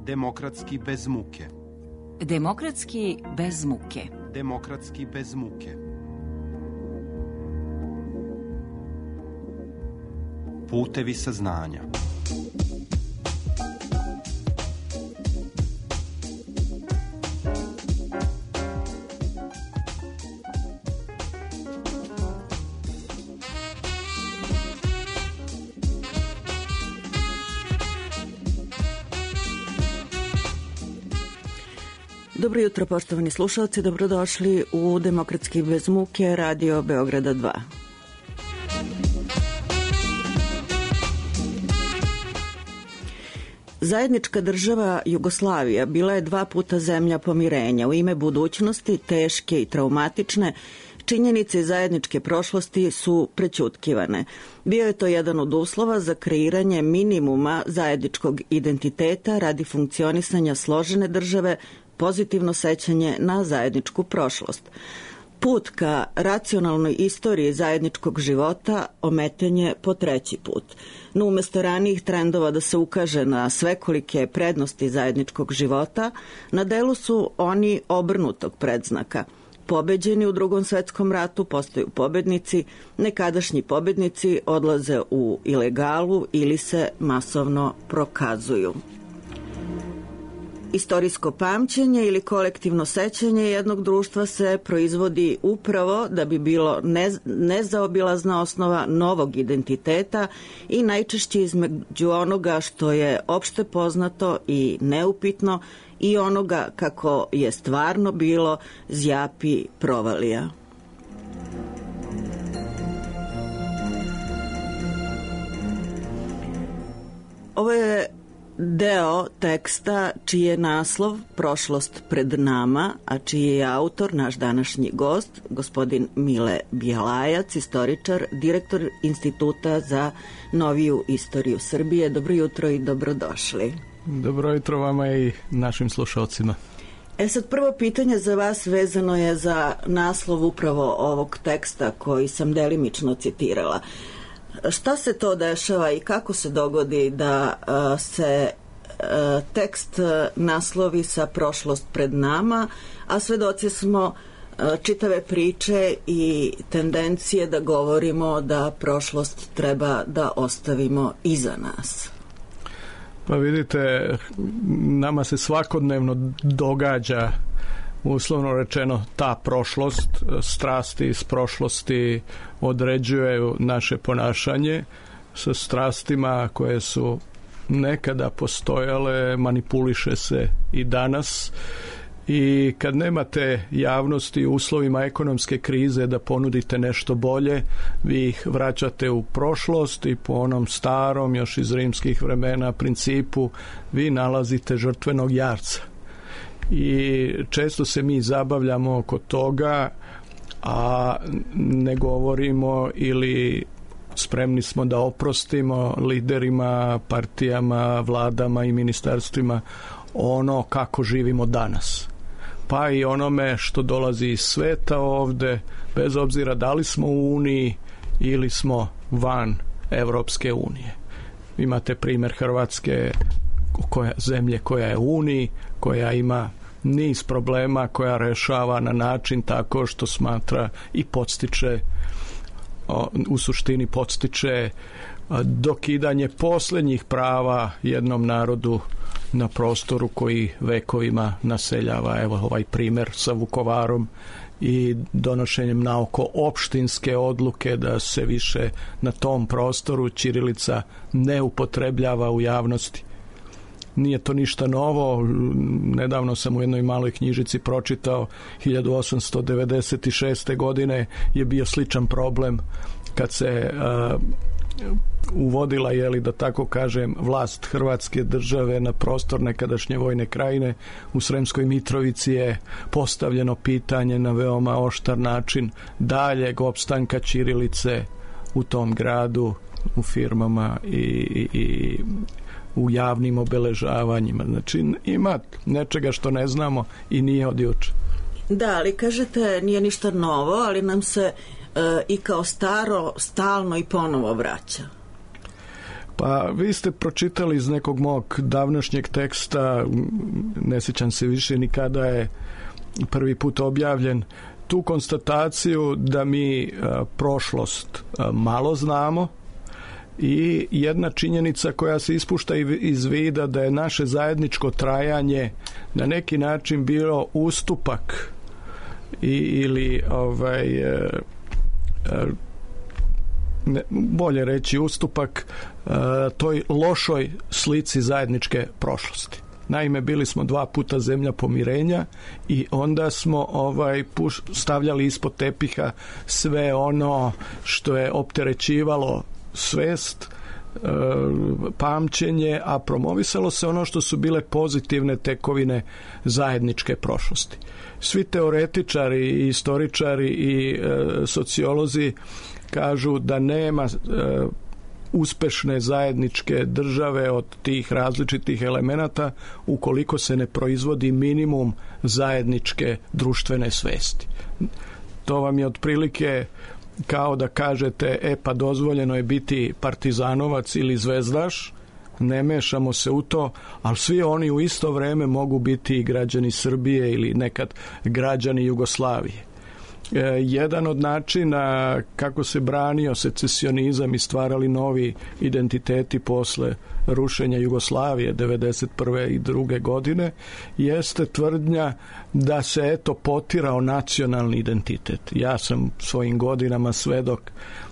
Demokratski bez muke. Demokratski bez muke. Demokratski bez muke. Putevi saznanja. Dobro jutro, poštovani slušalci, dobrodošli u Demokratski bez muke, Radio Beograda 2. Zajednička država Jugoslavija bila je 2 puta zemlja pomirenja. U ime budućnosti, teške i traumatične, činjenice zajedničke prošlosti su prećutkivane. Bio je to jedan od uslova za kreiranje minimuma zajedničkog identiteta radi funkcionisanja složene države, pozitivno sećanje na zajedničku prošlost. Put ka racionalnoj istoriji zajedničkog života ometen je po 3. put. No umesto ranijih trendova da se ukaže na svekolike prednosti zajedničkog života, na delu su oni obrnutog predznaka. Pobeđeni u Drugom svetskom ratu postaju pobednici, nekadašnji pobednici odlaze u ilegalu ili se masovno prokazuju. Istorijsko pamćenje ili kolektivno sećanje jednog društva se proizvodi upravo da bi bilo nezaobilazna osnova novog identiteta i najčešće između onoga što je opšte poznato i neupitno i onoga kako je stvarno bilo zjapi provalija. Ovo je deo teksta čiji je naslov Prošlost pred nama, a čiji je autor naš današnji gost, gospodin Mile Bjelajac, istoričar, direktor Instituta za noviju istoriju Srbije. Dobro jutro i dobrodošli. Dobro jutro vama i našim slušalcima. Sad prvo pitanje za vas vezano je za naslov upravo ovog teksta koji sam delimično citirala. Šta se to dešava i kako se dogodi da se tekst naslovi sa prošlost pred nama, a svedoci smo čitave priče i tendencije da govorimo da prošlost treba da ostavimo iza nas? Pa vidite, nama se svakodnevno događa, uslovno rečeno, ta prošlost. Strasti iz prošlosti određuju naše ponašanje. Sa strastima koje su nekada postojale manipuliše se i danas. I kad nemate javnosti u uslovima ekonomske krize da ponudite nešto bolje, vi ih vraćate u prošlost i po onom starom, još iz rimskih vremena, principu, vi nalazite žrtvenog jarca. I često se mi zabavljamo oko toga, a ne govorimo ili spremni smo da oprostimo liderima, partijama, vladama i ministarstvima ono kako živimo danas. Pa i onome što dolazi iz sveta ovde, bez obzira da li smo u Uniji ili smo van Evropske unije. Imate primjer Hrvatske, zemlje koja je u Uniji, koja ima niz problema, koja rešava na način tako što smatra i podstiče, u suštini podstiče dokidanje posljednjih prava jednom narodu na prostoru koji vekovima naseljava. Evo ovaj primjer sa Vukovarom i donošenjem naoko opštinske odluke da se više na tom prostoru ćirilica ne upotrebljava u javnosti. Nije to ništa novo. Nedavno sam u jednoj maloj knjižici pročitao 1896. godine je bio sličan problem kad se uvodila, da tako kažem, vlast Hrvatske države na prostor nekadašnje Vojne Krajine. U Sremskoj Mitrovici je postavljeno pitanje na veoma oštar način daljeg opstanka ćirilice u tom gradu, u firmama i u javnim obeležavanjima. Znači ima nečega što ne znamo i nije od juče. Da, ali kažete nije ništa novo, ali nam se i kao staro stalno i ponovo vraća. Pa vi ste pročitali iz nekog mog davnašnjeg teksta, ne sjećam se više ni kada je prvi put objavljen, tu konstataciju da mi prošlost malo znamo i jedna činjenica koja se ispušta iz vida da je naše zajedničko trajanje na neki način bilo ustupak ili bolje reći ustupak toj lošoj slici zajedničke prošlosti. Naime, bili smo 2 puta zemlja pomirenja i onda smo stavljali ispod tepiha sve ono što je opterećivalo svest, pamćenje, a promovisalo se ono što su bile pozitivne tekovine zajedničke prošlosti. Svi teoretičari i istoričari i sociolozi kažu da nema uspešne zajedničke države od tih različitih elemenata ukoliko se ne proizvodi minimum zajedničke društvene svesti. To vam je otprilike kao da kažete pa dozvoljeno je biti partizanovac ili zvezdaš, ne mešamo se u to, ali svi oni u isto vreme mogu biti i građani Srbije ili nekad građani Jugoslavije. Jedan od načina kako se branio secesionizam i stvarali novi identiteti posle rušenja Jugoslavije 1991. i 1992. godine jeste tvrdnja da se potirao nacionalni identitet. Ja sam svojim godinama svedok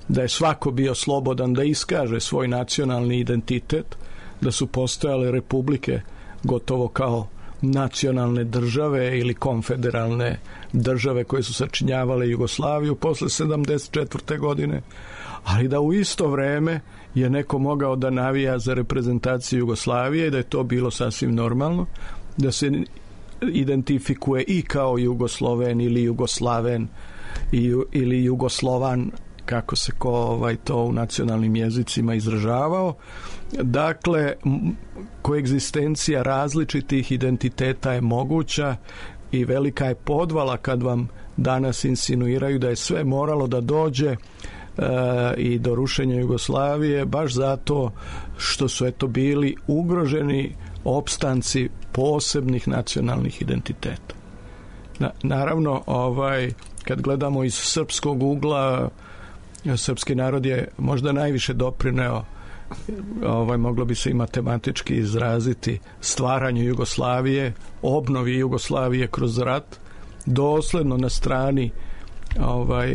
da je svako bio slobodan da iskaže svoj nacionalni identitet, da su postojale republike gotovo kao nacionalne države ili konfederalne države koje su sačinjavale Jugoslaviju posle 1974. godine, ali da u isto vreme je neko mogao da navija za reprezentaciju Jugoslavije i da je to bilo sasvim normalno, da se identifikuje i kao Jugosloven ili Jugoslaven ili Jugoslovan, kako se to u nacionalnim jezicima izražavao. Dakle, koegzistencija različitih identiteta je moguća i velika je podvala kad vam danas insinuiraju da je sve moralo da dođe i do rušenja Jugoslavije baš zato što su bili ugroženi opstanci posebnih nacionalnih identiteta. Naravno, kad gledamo iz srpskog ugla, srpski narod je možda najviše doprineo, moglo bi se i matematički izraziti, stvaranju Jugoslavije, obnovi Jugoslavije kroz rat, dosledno na strani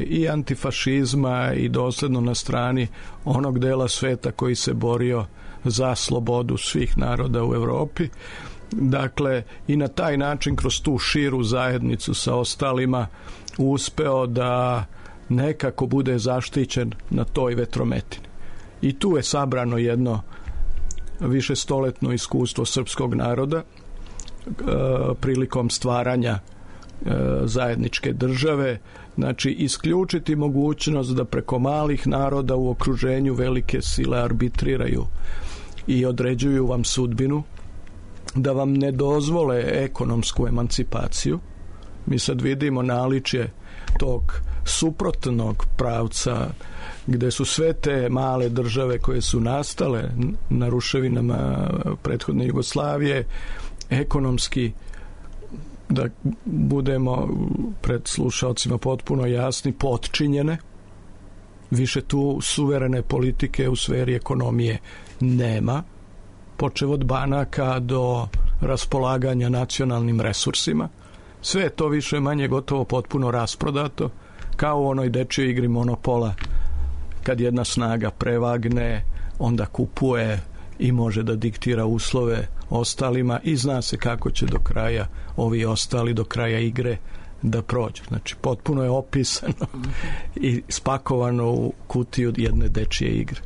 i antifašizma i dosledno na strani onog dela sveta koji se borio za slobodu svih naroda u Evropi. Dakle, i na taj način kroz tu širu zajednicu sa ostalima uspeo da nekako bude zaštićen na toj vetrometini. I tu je sabrano jedno višestoletno iskustvo srpskog naroda prilikom stvaranja zajedničke države, znači isključiti mogućnost da preko malih naroda u okruženju velike sile arbitriraju i određuju vam sudbinu, da vam ne dozvole ekonomsku emancipaciju. Mi sad vidimo naličje tog suprotnog pravca gde su sve te male države koje su nastale na ruševinama prethodne Jugoslavije ekonomski, da budemo pred slušalcima potpuno jasni, potčinjene. Više tu suverene politike u sferi ekonomije nema, počev od banaka do raspolaganja nacionalnim resursima. Sve je to više manje gotovo potpuno rasprodato, kao u onoj dečjoj igri Monopola, kad jedna snaga prevagne, onda kupuje i može da diktira uslove ostalima i zna se kako će do kraja ovi ostali do kraja igre da prođu. Znači, potpuno je opisano i spakovano u kutiju jedne dečje igre.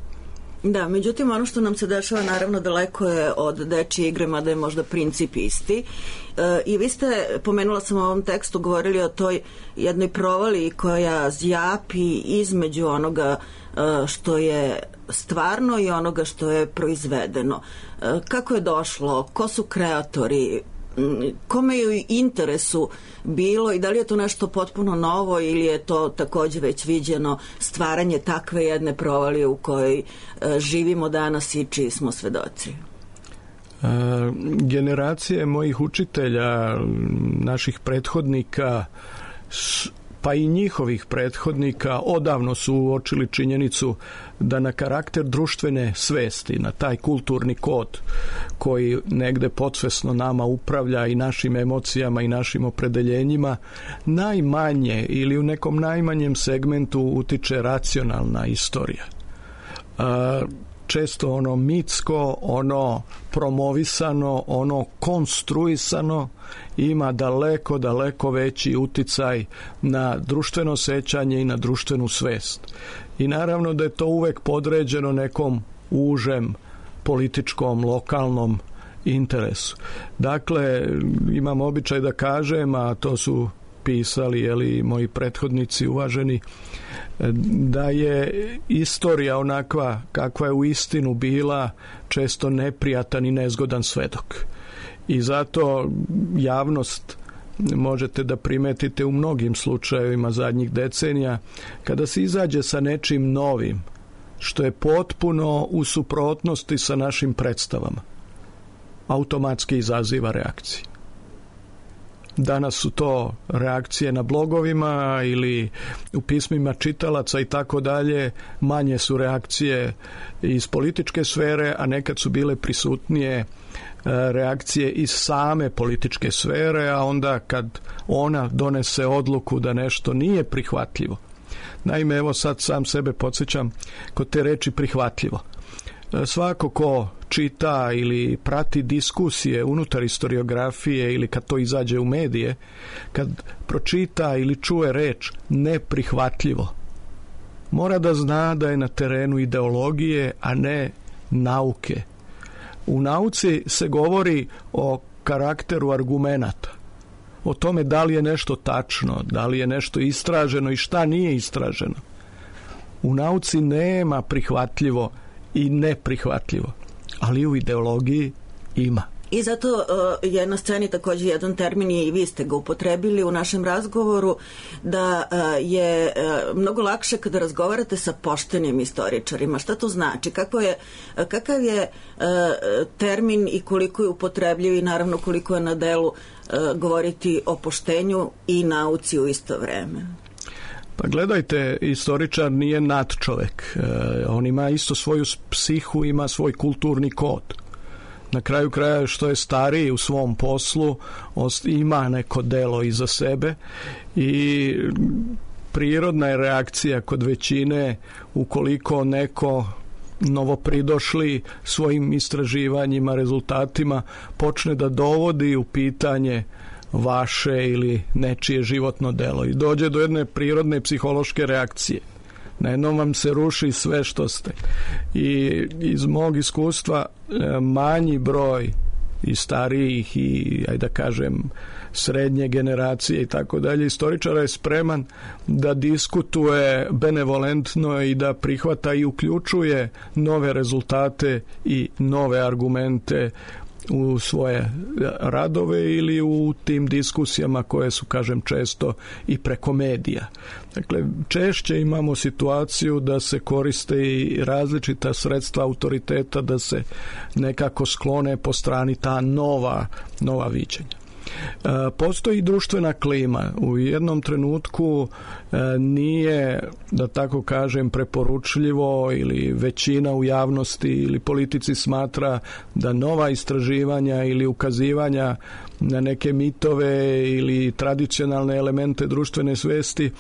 Da, međutim, ono što nam se dešava naravno daleko je od dečje igre, mada je možda princip isti. I vi ste, pomenula sam u ovom tekstu, govorili o toj jednoj provali koja zjapi između onoga što je stvarno i onoga što je proizvedeno. Kako je došlo? Ko su kreatori kome je u interesu bilo i da li je to nešto potpuno novo ili je to takođe već viđeno stvaranje takve jedne provalije u kojoj živimo danas i čiji smo svedoci? Generacije mojih učitelja, naših prethodnika, pa i njihovih prethodnika odavno su uočili činjenicu da na karakter društvene svesti, na taj kulturni kod koji negde podsvesno nama upravlja i našim emocijama i našim opredeljenjima, najmanje ili u nekom najmanjem segmentu utiče racionalna istorija. Često ono mitsko, ono promovisano, ono konstruisano ima daleko, daleko veći uticaj na društveno sećanje i na društvenu svest. I naravno da je to uvek podređeno nekom užem političkom, lokalnom interesu. Dakle, imam običaj da kažem, a to su pisali moji prethodnici uvaženi, da je istorija onakva kakva je u istinu bila često neprijatan i nezgodan svedok. I zato javnost možete da primetite u mnogim slučajevima zadnjih decenija, kada se izađe sa nečim novim, što je potpuno u suprotnosti sa našim predstavama, automatski izaziva reakcije. Danas su to reakcije na blogovima ili u pismima čitalaca i tako dalje. Manje su reakcije iz političke sfere, a nekad su bile prisutnije reakcije iz same političke sfere, a onda kad ona donese odluku da nešto nije prihvatljivo. Naime, evo sad sam sebe podsjećam kod te reči prihvatljivo. Svako ko čita ili prati diskusije unutar historiografije ili kad to izađe u medije, kad pročita ili čuje reč neprihvatljivo, mora da zna da je na terenu ideologije, a ne nauke. U nauci se govori o karakteru argumenata, o tome da li je nešto tačno, da li je nešto istraženo i šta nije istraženo. U nauci nema prihvatljivo i neprihvatljivo, ali u ideologiji ima. I zato je na sceni također jedan termin i vi ste ga upotrebili u našem razgovoru, da je mnogo lakše kada razgovarate sa poštenim istoričarima. Šta to znači? Kakav je termin i koliko je upotrebljiv i naravno koliko je na delu govoriti o poštenju i nauci u isto vreme? Pa gledajte, istoričar nije nadčovek. On ima isto svoju psihu, ima svoj kulturni kod. Na kraju kraja, što je stariji u svom poslu, ima neko delo iza sebe i prirodna je reakcija kod većine ukoliko neko novopridošli svojim istraživanjima, rezultatima počne da dovodi u pitanje vaše ili nečije životno delo i dođe do jedne prirodne psihološke reakcije. Na jednom vam se ruši sve što ste. I iz mog iskustva manji broj i starijih i, ajde da kažem, srednje generacije i tako dalje, istoričara je spreman da diskutuje benevolentno i da prihvata i uključuje nove rezultate i nove argumente u svoje radove ili u tim diskusijama koje su, kažem, često i preko medija. Dakle, češće imamo situaciju da se koriste i različita sredstva autoriteta da se nekako sklone po strani ta nova viđenja. Postoji društvena klima. U jednom trenutku nije, da tako kažem, preporučljivo ili većina u javnosti ili politici smatra da nova istraživanja ili ukazivanja na neke mitove ili tradicionalne elemente društvene svesti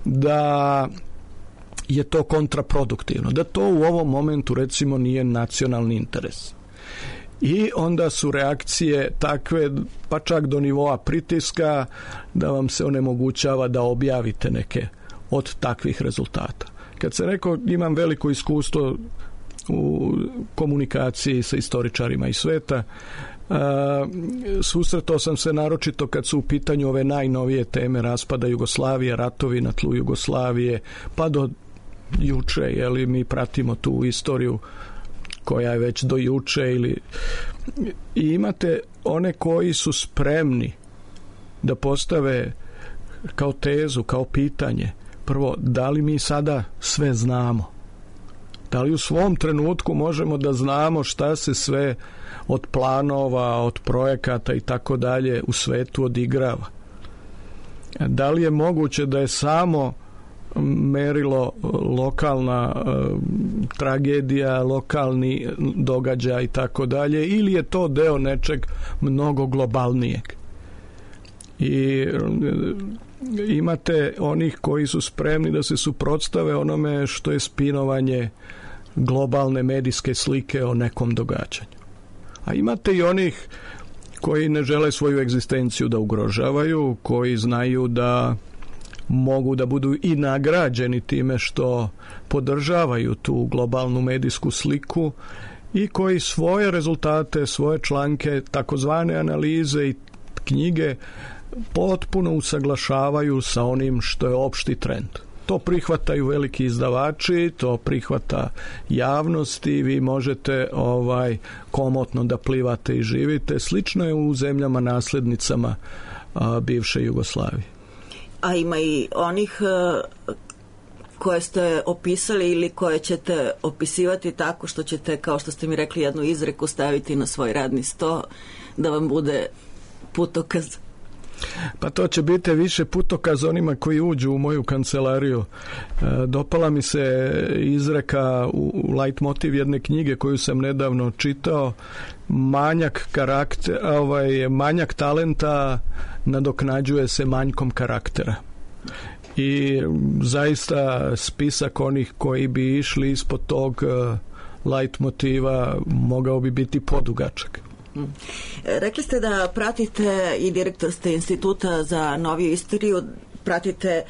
da je to kontraproduktivno, da to u ovom momentu recimo nije nacionalni interes. I onda su reakcije takve, pa čak do nivoa pritiska, da vam se onemogućava da objavite neke od takvih rezultata. Kad se rekao, imam veliko iskustvo u komunikaciji sa istoričarima iz sveta, susretao sam se naročito kad su u pitanju ove najnovije teme raspada Jugoslavije, ratovi na tlu Jugoslavije, pa do juče, mi pratimo tu istoriju koja je već do juče i imate one koji su spremni da postave kao tezu, kao pitanje, prvo, da li mi sada sve znamo? Da li u svom trenutku možemo da znamo šta se sve od planova, od projekata i tako dalje u svetu odigrava? Da li je moguće da je samo merilo lokalna tragedija, lokalni događaj i tako dalje, ili je to deo nečeg mnogo globalnijeg? I imate onih koji su spremni da se suprotstave onome što je spinovanje globalne medijske slike o nekom događanju. A imate i onih koji ne žele svoju egzistenciju da ugrožavaju, koji znaju da mogu da budu i nagrađeni time što podržavaju tu globalnu medijsku sliku i koji svoje rezultate, svoje članke, takozvane analize i knjige potpuno usaglašavaju sa onim što je opšti trend. To prihvataju veliki izdavači, to prihvata javnost i vi možete komotno da plivate i živite. Slično je u zemljama naslednicama bivše Jugoslavije. A ima i onih koje ste opisali ili koje ćete opisivati tako što ćete, kao što ste mi rekli, jednu izreku staviti na svoj radni sto da vam bude putokaz. Pa to će biti više putokaz onima koji uđu u moju kancelariju. Dopala mi se izreka u leitmotiv jedne knjige koju sam nedavno čitao: manjak talenta nadoknađuje se manjkom karaktera. I zaista spisak onih koji bi išli ispod tog leitmotiva mogao bi biti podugačak. Rekli ste da pratite i direktor ste Instituta za noviju istoriju, pratite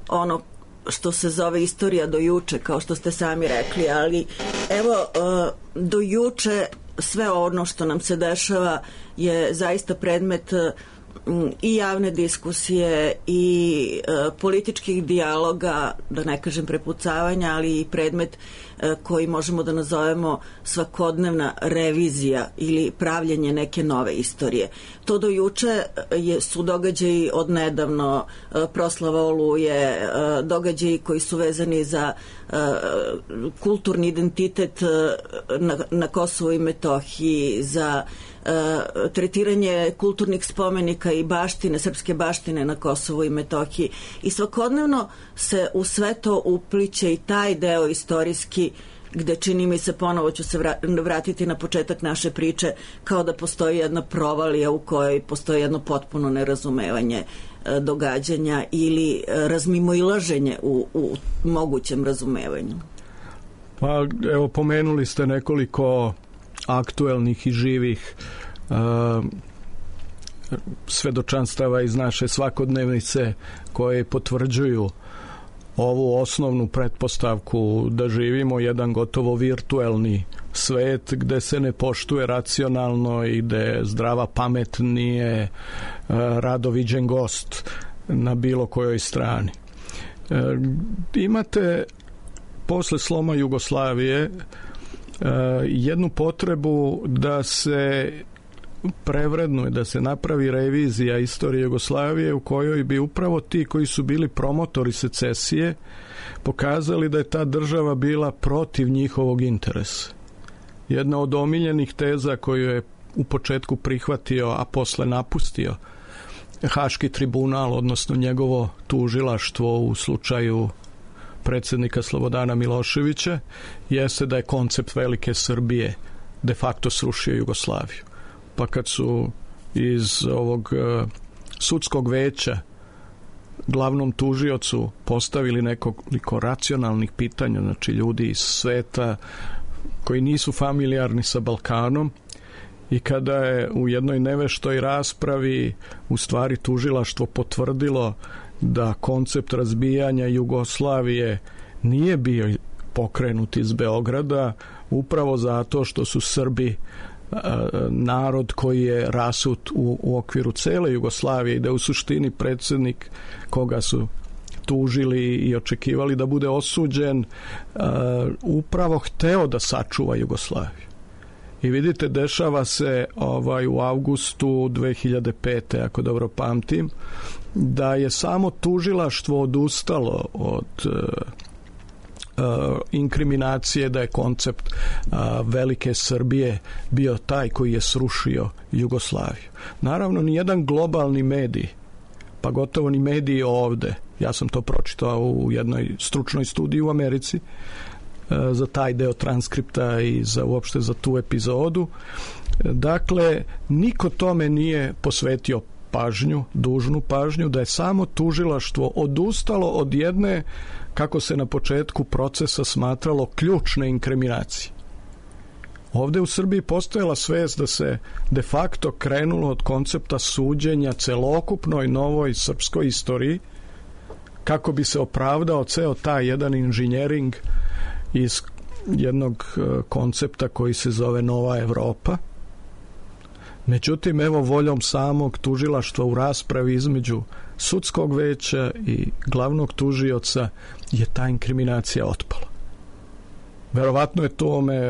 ono što se zove istorija do juče, kao što ste sami rekli, ali evo, do juče sve ono što nam se dešava je zaista predmet i javne diskusije i političkih dijaloga, da ne kažem prepucavanja, ali i predmet koji možemo da nazovemo svakodnevna revizija ili pravljenje neke nove istorije. To do juče su događaji od nedavno, proslava Oluje, događaji koji su vezani za kulturni identitet na Kosovu i Metohiji, za tretiranje kulturnih spomenika i baštine, srpske baštine na Kosovu i Metohiji. I svakodnevno se u sve to upliće i taj deo istorijski, gde čini mi se, ponovo ću se vratiti na početak naše priče, kao da postoji jedna provalija u kojoj postoji jedno potpuno nerazumevanje događanja ili razmimoilaženje u mogućem razumevanju. Pa evo, pomenuli ste nekoliko aktuelnih i živih svedočanstava iz naše svakodnevnice koje potvrđuju ovu osnovnu pretpostavku da živimo jedan gotovo virtuelni svet gde se ne poštuje racionalno i gde zdrava pamet nije rado viđen gost na bilo kojoj strani. Imate posle sloma Jugoslavije jednu potrebu da se prevrednuje, da se napravi revizija istorije Jugoslavije u kojoj bi upravo ti koji su bili promotori secesije pokazali da je ta država bila protiv njihovog interesa. Jedna od omiljenih teza koju je u početku prihvatio, a posle napustio Haški tribunal, odnosno njegovo tužilaštvo u slučaju predsjednika Slobodana Miloševića, jeste da je koncept velike Srbije de facto srušio Jugoslaviju. Pa kad su iz ovog sudskog veća glavnom tužiocu postavili nekoliko racionalnih pitanja, znači ljudi iz sveta koji nisu familijarni sa Balkanom, i kada je u jednoj neveštoj raspravi u stvari tužilaštvo potvrdilo da koncept razbijanja Jugoslavije nije bio pokrenut iz Beograda, upravo zato što su Srbi narod koji je rasut u okviru cele Jugoslavije i da u suštini predsjednik koga su tužili i očekivali da bude osuđen, upravo hteo da sačuva Jugoslaviju. I vidite, dešava se u avgustu 2005. ako dobro pamtim, da je samo tužilaštvo odustalo od inkriminacije da je koncept velike Srbije bio taj koji je srušio Jugoslaviju. Naravno, nijedan globalni medij, pa gotovo ni mediji ovde, ja sam to pročitao u jednoj stručnoj studiji u Americi za taj deo transkripta i uopšte za tu epizodu. Dakle, niko tome nije posvetio pažnju, dužnu pažnju, da je samo tužilaštvo odustalo od jedne, kako se na početku procesa smatralo, ključne inkriminacije. Ovde u Srbiji postojala svest da se de facto krenulo od koncepta suđenja celokupnoj novoj srpskoj istoriji, kako bi se opravdao ceo taj jedan inženjering iz jednog koncepta koji se zove Nova Evropa. Međutim, evo, voljom samog tužilaštva u raspravi između sudskog veća i glavnog tužioca je ta inkriminacija otpala. Verovatno je tome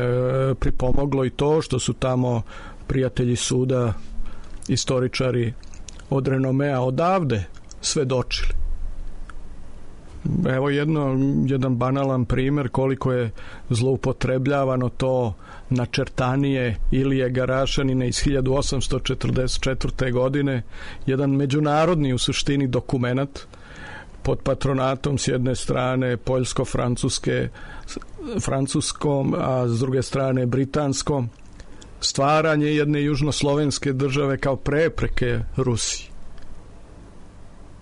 pripomoglo i to što su tamo prijatelji suda, istoričari od renomea odavde svedočili. Evo jedan banalan primer koliko je zloupotrebljavano to načrtanije Ilije Garašanine iz 1844. godine, jedan međunarodni u suštini dokumenat pod patronatom s jedne strane poljsko-francuskom, a s druge strane britanskom, stvaranje jedne južnoslovenske države kao prepreke Rusiji.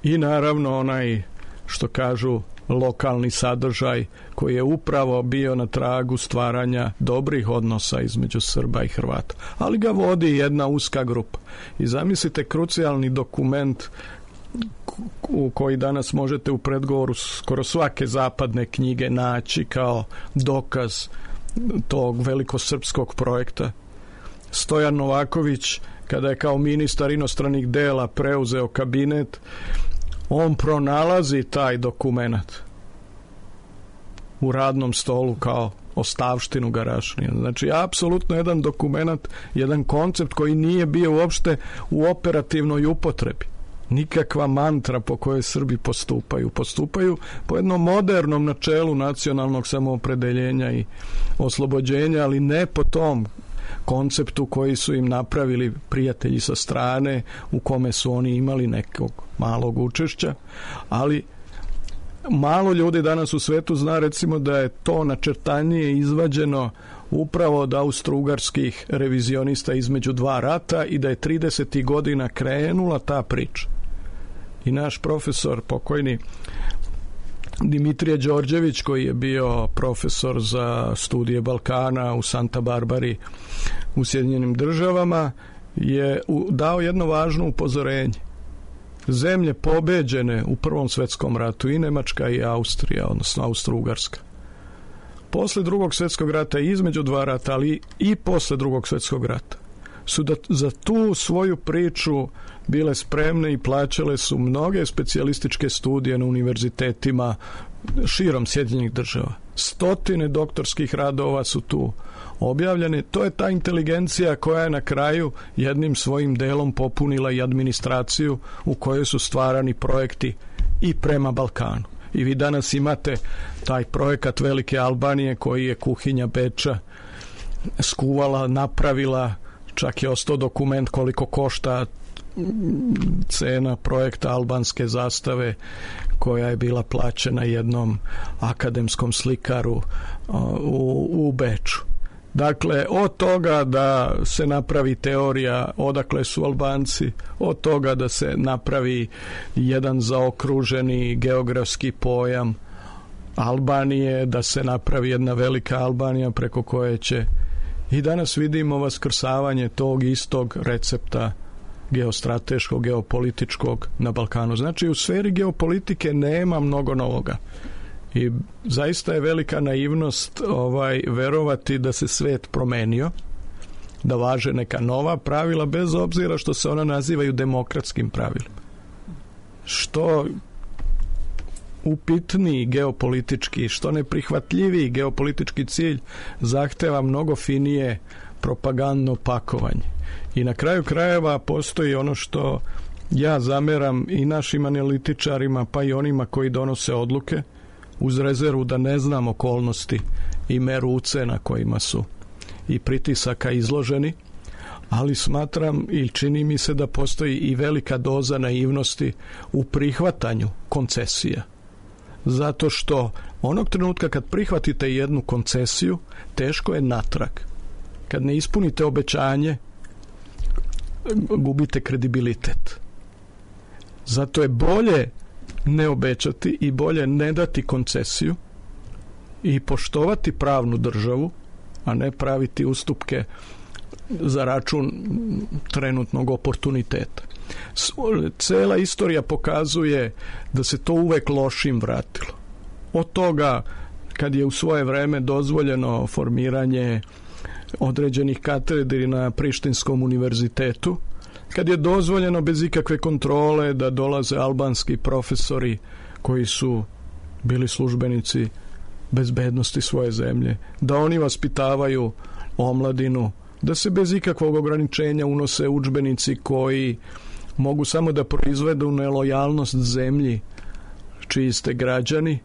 I naravno onaj, što kažu, lokalni sadržaj koji je upravo bio na tragu stvaranja dobrih odnosa između Srba i Hrvata. Ali ga vodi jedna uska grupa. I zamislite krucijalni dokument u koji danas možete u predgovoru skoro svake zapadne knjige naći kao dokaz tog velikosrpskog projekta. Stojan Novaković, kada je kao ministar inostranih dela preuzeo kabinet, on pronalazi taj dokument u radnom stolu kao ostavštinu Garašanina. Znači, apsolutno jedan dokument, jedan koncept koji nije bio uopšte u operativnoj upotrebi. Nikakva mantra po kojoj Srbi postupaju. Postupaju po jednom modernom načelu nacionalnog samoopredeljenja i oslobođenja, ali ne po tom konceptu koji su im napravili prijatelji sa strane, u kome su oni imali nekog malog učešća, ali malo ljudi danas u svetu zna recimo da je to načrtanje izvađeno upravo od austro-ugarskih revizionista između dva rata i da je 30. godina krenula ta priča. I naš profesor, pokojni Dimitrije Đorđević, koji je bio profesor za studije Balkana u Santa Barbari u Sjedinjenim Državama, je dao jedno važno upozorenje. Zemlje pobeđene u Prvom svetskom ratu, i Nemačka i Austrija, odnosno Austro-Ugarska, posle Drugog svjetskog rata i između dva rata, ali i posle Drugog svjetskog rata, su za tu svoju priču bile spremne i plaćale su mnoge specijalističke studije na univerzitetima širom Sjedinjenih Država. Stotine doktorskih radova su tu objavljene. To je ta inteligencija koja je na kraju jednim svojim delom popunila i administraciju u kojoj su stvarani projekti i prema Balkanu. I vi danas imate taj projekat Velike Albanije koji je kuhinja Beča skuvala, napravila, čak je ostao dokument koliko košta cena projekta albanske zastave koja je bila plaćena jednom akademskom slikaru u Beču. Dakle, od toga da se napravi teorija odakle su Albanci, od toga da se napravi jedan zaokruženi geografski pojam Albanije, da se napravi jedna velika Albanija preko koje će, i danas vidimo vaskrsavanje tog istog recepta geostrateškog, geopolitičkog na Balkanu. Znači, u sferi geopolitike nema mnogo novoga. I zaista je velika naivnost verovati da se svet promenio, da važe neka nova pravila, bez obzira što se ona nazivaju demokratskim pravilima. Što upitniji geopolitički, što neprihvatljiviji geopolitički cilj zahteva mnogo finije propagandno pakovanje. I na kraju krajeva postoji ono što ja zameram i našim analitičarima, pa i onima koji donose odluke, uz rezervu da ne znam okolnosti i meru ucena kojima su i pritisaka izloženi, ali smatram i čini mi se da postoji i velika doza naivnosti u prihvatanju koncesija. Zato što onog trenutka kad prihvatite jednu koncesiju, teško je natrag. Kad ne ispunite obećanje, gubite kredibilitet. Zato je bolje ne obećati i bolje ne dati koncesiju i poštovati pravnu državu, a ne praviti ustupke za račun trenutnog oportuniteta. Cela istorija pokazuje da se to uvek lošim vratilo. Od toga kad je u svoje vreme dozvoljeno formiranje određenih katedri na Prištinskom univerzitetu, kad je dozvoljeno bez ikakve kontrole da dolaze albanski profesori koji su bili službenici bezbednosti svoje zemlje, da oni vaspitavaju omladinu, da se bez ikakvog ograničenja unose udžbenici koji mogu samo da proizvedu nelojalnost zemlji čiji ste građani.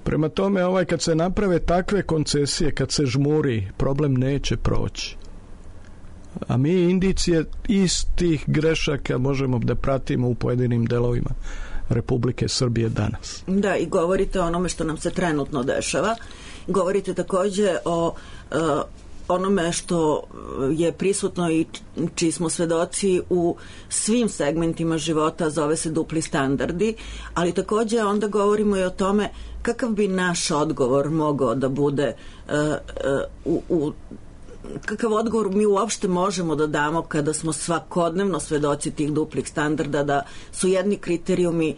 Prema tome, kad se naprave takve koncesije, kad se žmuri, problem neće proći. A mi indicije istih grešaka možemo da pratimo u pojedinim delovima Republike Srbije danas. Da, i govorite o onome što nam se trenutno dešava. Govorite takođe o onome što je prisutno i čiji smo svedoci u svim segmentima života, zove se dupli standardi, ali takođe onda govorimo i o tome kakav bi naš odgovor mogao da bude kakav odgovor mi uopšte možemo da damo kada smo svakodnevno svedoci tih duplih standarda, da su jedni kriterijumi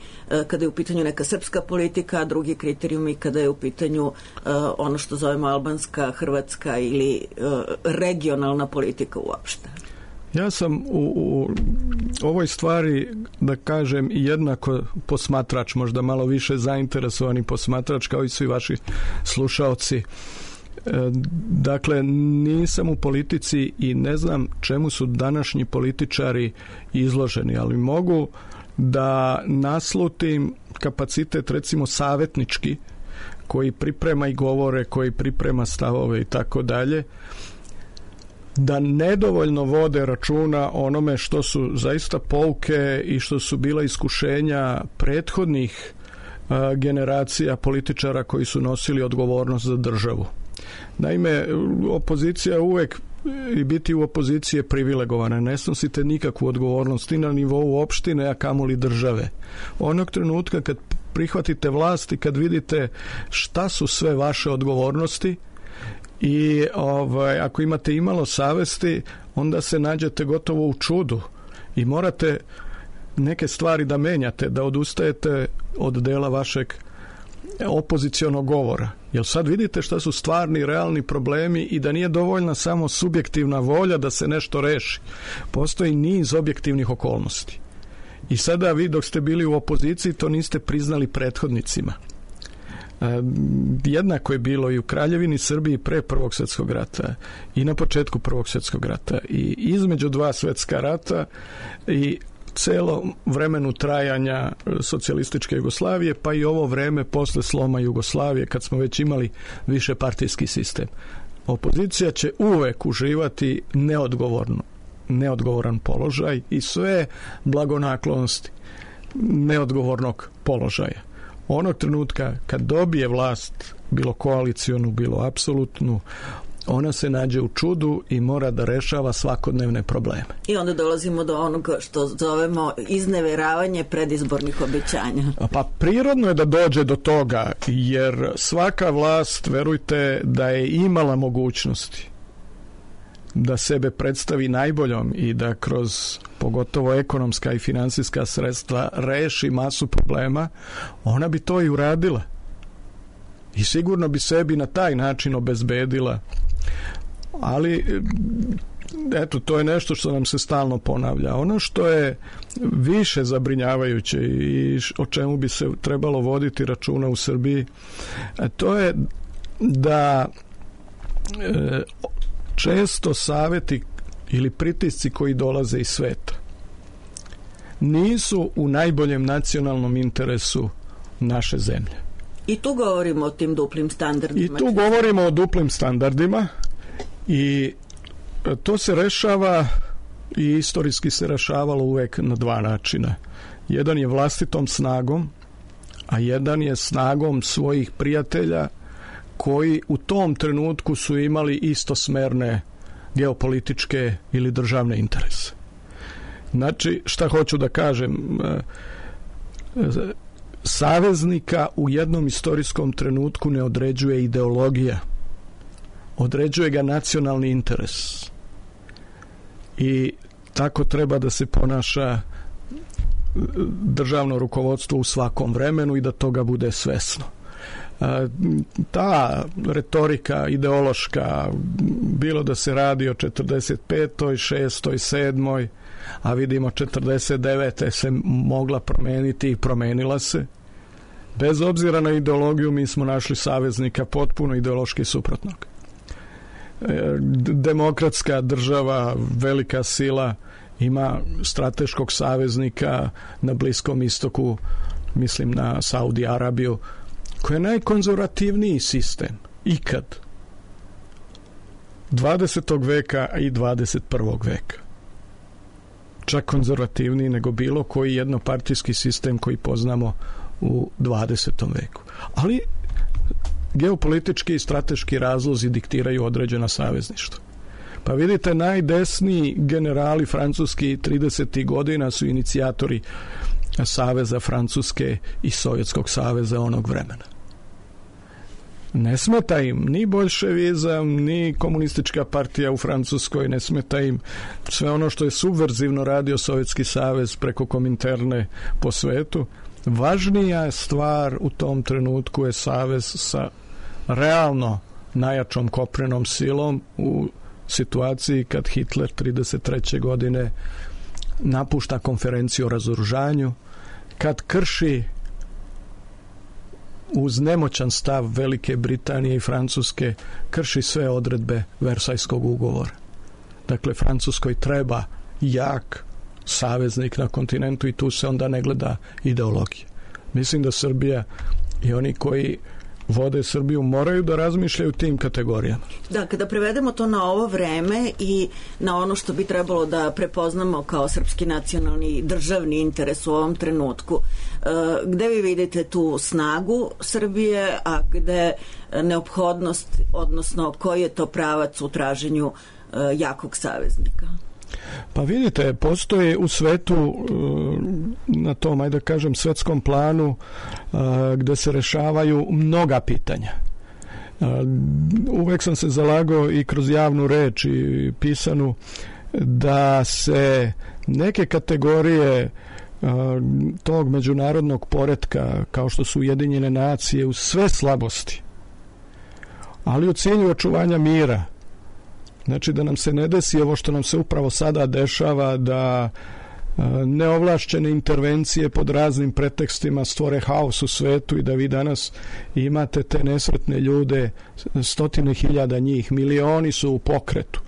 kada je u pitanju neka srpska politika, a drugi kriterijumi kada je u pitanju ono što zovemo albanska, hrvatska ili regionalna politika uopšte. Ja sam u ovoj stvari, da kažem, jednako posmatrač, možda malo više zainteresovani posmatrač kao i svi vaši slušaoci. Dakle, nisam u politici i ne znam čemu su današnji političari izloženi, ali mogu da naslutim kapacitet, recimo savjetnički, koji priprema i govore, koji priprema stavove i tako dalje, da nedovoljno vode računa onome što su zaista pouke i što su bila iskušenja prethodnih generacija političara koji su nosili odgovornost za državu. Naime, opozicija uvek i biti u opoziciji je privilegovana. Ne snosite nikakvu odgovornost i na nivou opštine, a kamoli države. Onog trenutka kad prihvatite vlast i kad vidite šta su sve vaše odgovornosti i ako imate imalo savesti, onda se nađete gotovo u čudu i morate neke stvari da menjate, da odustajete od dela vašeg opozicionog govora. Jer sad vidite šta su stvarni, realni problemi i da nije dovoljna samo subjektivna volja da se nešto reši. Postoji niz objektivnih okolnosti. I sada vi dok ste bili u opoziciji to niste priznali prethodnicima. Jednako je bilo i u Kraljevini Srbiji pre Prvog svjetskog rata i na početku Prvog svjetskog rata i između dva svjetska rata i celo vremenu trajanja socijalističke Jugoslavije, pa i ovo vreme posle sloma Jugoslavije, kad smo već imali višepartijski sistem. Opozicija će uvek uživati neodgovoran položaj i sve blagonaklonosti neodgovornog položaja. Onog trenutka kad dobije vlast, bilo koalicionu, bilo apsolutnu, ona se nađe u čudu i mora da rešava svakodnevne probleme. I onda dolazimo do onoga što zovemo izneveravanje predizbornih obećanja. Pa prirodno je da dođe do toga, jer svaka vlast, verujte, da je imala mogućnosti da sebe predstavi najboljom i da kroz pogotovo ekonomska i finansijska sredstva reši masu problema, ona bi to i uradila. I sigurno bi sebi na taj način obezbedila. Ali Eto, to je nešto što nam se stalno ponavlja. Ono što je više zabrinjavajuće i o čemu bi se trebalo voditi računa u Srbiji, to je da često saveti ili pritisci koji dolaze iz sveta nisu u najboljem nacionalnom interesu naše zemlje. I tu govorimo o tim duplim standardima. I tu govorimo o duplim standardima i to se rešava i istorijski se rešavalo uvek na dva načina. Jedan je vlastitom snagom, a jedan je snagom svojih prijatelja koji u tom trenutku su imali istosmerne geopolitičke ili državne interese. Znači, šta hoću da kažem, saveznika u jednom istorijskom trenutku ne određuje ideologija, određuje ga nacionalni interes. I tako treba da se ponaša državno rukovodstvo u svakom vremenu i da toga bude svesno. Ta retorika ideološka, bilo da se radi o 45., 6., 7., a vidimo 49. se mogla promeniti i promenila se. Bez obzira na ideologiju mi smo našli saveznika potpuno ideološki suprotnog. Demokratska država, velika sila, ima strateškog saveznika na Bliskom istoku, mislim na Saudi Arabiju, koji je najkonzervativniji sistem ikad 20. veka i 21. veka. Čak konzervativniji nego bilo koji jednopartijski sistem koji poznamo u 20. veku. Ali geopolitički i strateški razlozi diktiraju određena savezništva. Pa vidite, najdesniji generali francuski 30. godina su inicijatori Saveza Francuske i Sovjetskog saveza onog vremena. Ne smeta im ni boljševizam, ni komunistička partija u Francuskoj, ne smeta im sve ono što je subverzivno radio Sovjetski savez preko Kominterne po svetu. Važnija stvar u tom trenutku je savez sa realno najjačom kopnenom silom u situaciji kad Hitler 33. godine napušta konferenciju o razoružanju, kad krši uz nemoćan stav Velike Britanije i Francuske, krši sve odredbe Versajskog ugovora. Dakle, Francuskoj treba jak saveznik na kontinentu i tu se onda ne gleda ideologija. Mislim da Srbija i oni koji vode Srbiju moraju da razmišljaju tim kategorijama. Da, kada prevedemo to na ovo vreme i na ono što bi trebalo da prepoznamo kao srpski nacionalni državni interes u ovom trenutku, gde vi vidite tu snagu Srbije, a gde neophodnost, odnosno koji je to pravac u traženju jakog saveznika? Pa vidite, postoje u svetu na tom, ajde da kažem, svetskom planu gde se rešavaju mnoga pitanja. Uvek sam se zalagao i kroz javnu reč i pisanu da se neke kategorije tog međunarodnog poretka, kao što su Ujedinjene nacije, u sve slabosti, ali u cilju očuvanja mira, znači da nam se ne desi ovo što nam se upravo sada dešava, da neovlašćene intervencije pod raznim pretekstima stvore haos u svetu i da vi danas imate te nesretne ljude, 100.000 njih, milioni su u pokretu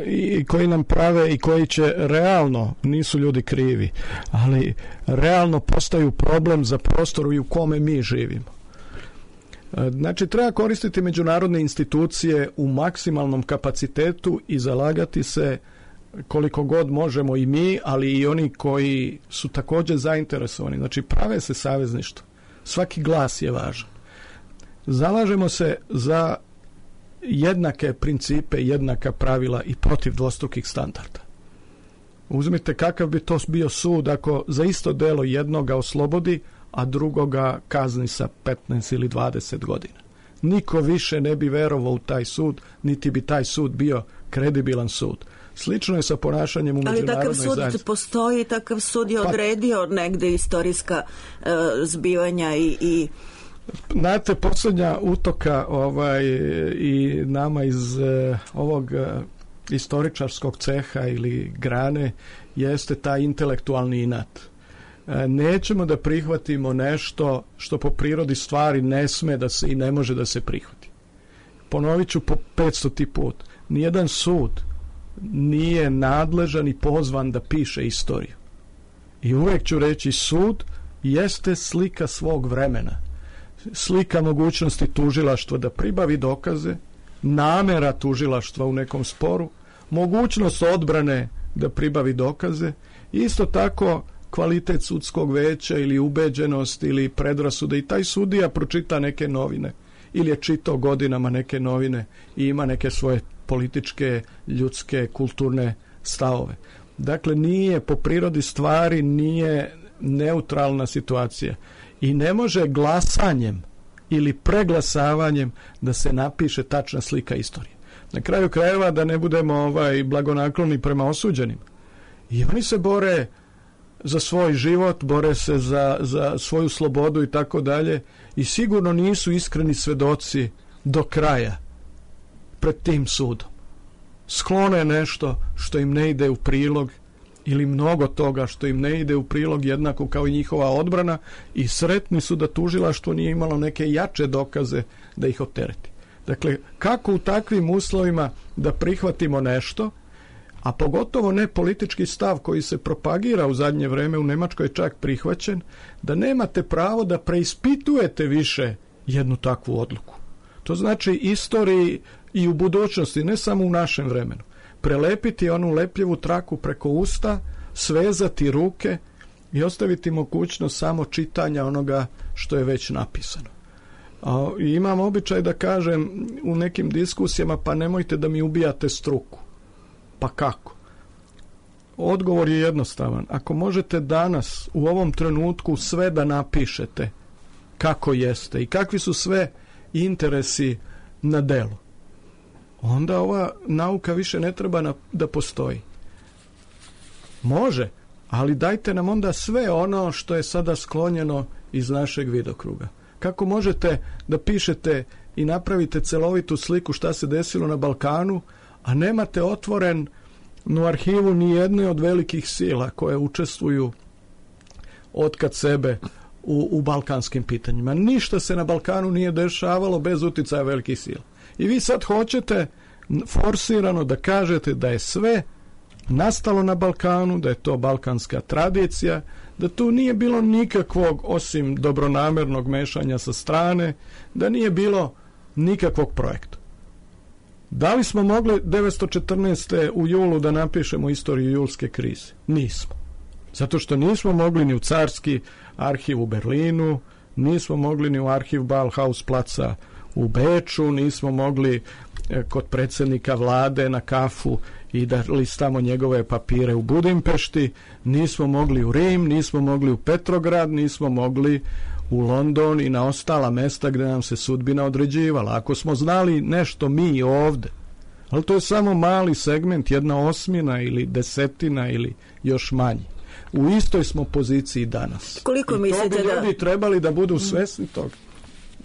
i koji nam prave i koji će realno, nisu ljudi krivi, ali realno postaju problem za prostor u kome mi živimo. Znači, treba koristiti međunarodne institucije u maksimalnom kapacitetu i zalagati se koliko god možemo i mi, ali i oni koji su također zainteresovani. Znači, prave se savezništvo. Svaki glas je važan. Zalažemo se za jednake principe, jednaka pravila i protiv dvostrukih standarda. Uzmite kakav bi to bio sud ako za isto delo jednoga oslobodi, a drugoga kazni sa 15 ili 20 godina. Niko više ne bi verovao u taj sud, niti bi taj sud bio kredibilan sud. Slično je sa ponašanjem u međunarodnoj zajednici. Ali takav sud postoji, takav sud je odredio negde istorijska zbivanja i... Znate, posljednja utoka i nama iz ovog istoričarskog ceha ili grane jeste taj intelektualni inat. Nećemo da prihvatimo nešto što po prirodi stvari ne sme da se i ne može da se prihvati. Ponovit ću po 500. put. Nijedan sud nije nadležan i pozvan da piše istoriju. I uvek ću reći, sud jeste slika svog vremena. Slika mogućnosti tužilaštva da pribavi dokaze, namera tužilaštva u nekom sporu, mogućnost odbrane da pribavi dokaze, isto tako kvalitet sudskog veća ili ubeđenost ili predrasuda, i taj sudija pročita neke novine ili je čitao godinama neke novine i ima neke svoje političke, ljudske, kulturne stavove. Dakle, nije po prirodi stvari, nije neutralna situacija i ne može glasanjem ili preglasavanjem da se napiše tačna slika istorije. Na kraju krajeva, da ne budemo blagonakloni prema osuđenima. I oni se bore za svoj život, bore se za svoju slobodu i tako dalje, i sigurno nisu iskreni svedoci do kraja pred tim sudom. Sklone nešto što im ne ide u prilog ili mnogo toga što im ne ide u prilog, jednako kao i njihova odbrana, i sretni su da tužilaštvo nije imalo neke jače dokaze da ih optereti. Dakle, kako u takvim uslovima da prihvatimo nešto, a pogotovo ne politički stav koji se propagira u zadnje vreme, u Nemačkoj je čak prihvaćen, da nemate pravo da preispitujete više jednu takvu odluku. To znači istoriji i u budućnosti, ne samo u našem vremenu. Prelepiti onu lepljivu traku preko usta, svezati ruke i ostaviti mogućnost samo čitanja onoga što je već napisano. I imam običaj da kažem u nekim diskusijama, pa nemojte da mi ubijate struku. Pa kako? Odgovor je jednostavan. Ako možete danas, u ovom trenutku, sve da napišete kako jeste i kakvi su sve interesi na delu, onda ova nauka više ne treba da postoji. Može, ali dajte nam onda sve ono što je sada sklonjeno iz našeg vidokruga. Kako možete da pišete i napravite celovitu sliku šta se desilo na Balkanu, a nemate otvorenu arhivu ni jedne od velikih sila koje učestvuju otkad sebe u balkanskim pitanjima. Ništa se na Balkanu nije dešavalo bez uticaja velikih sila. I vi sad hoćete forsirano da kažete da je sve nastalo na Balkanu, da je to balkanska tradicija, da tu nije bilo nikakvog, osim dobronamernog mešanja sa strane, da nije bilo nikakvog projekta. Da li smo mogli 1914. u julu da napišemo istoriju julske krize? Nismo. Zato što nismo mogli ni u carski arhiv u Berlinu, nismo mogli ni u arhiv Bauhaus placa u Beču, nismo mogli kod predsjednika vlade na kafu i da listamo njegove papire u Budimpešti, nismo mogli u Rim, nismo mogli u Petrograd, nismo mogli u London i na ostala mesta gdje nam se sudbina određivala. Ako smo znali nešto mi ovde, ali to je samo mali segment, 1/8 ili 10 ili još manji. U istoj smo poziciji danas. Koliko I mislite to bi ljudi trebali da budu svesni toga.